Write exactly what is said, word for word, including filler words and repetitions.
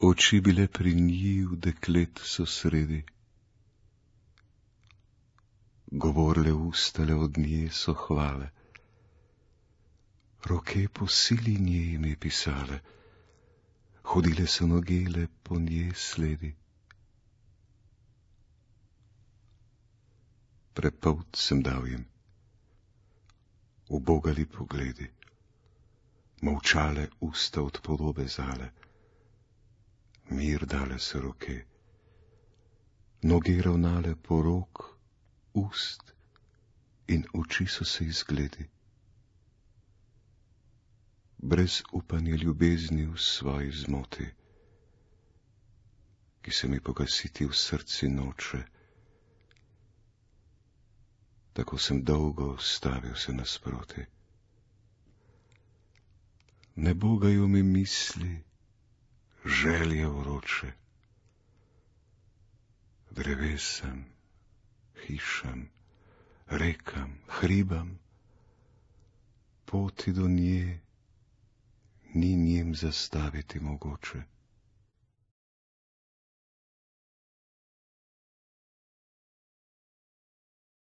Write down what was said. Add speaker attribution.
Speaker 1: Oči bile pri njiju, deklet so sredi, govorle ustale od nje so hvale, roke po sili nje ime pisale, hodile so nogele po nje sledi. Prepolt sem dal jim, ubogali pogledi, molčale usta od podobe zale, mir dale se roke, noge ravnale po rok, ust in oči so se izgledi. Brez upanja ljubezni v svoji zmoti, ki se mi pogasiti v srci noče, tako sem dolgo stavil se nasproti. Ne bogajo mi misli, želje vroče, drevesam, hišam, rekam, hribam, poti do nje ni njim zastaviti mogoče.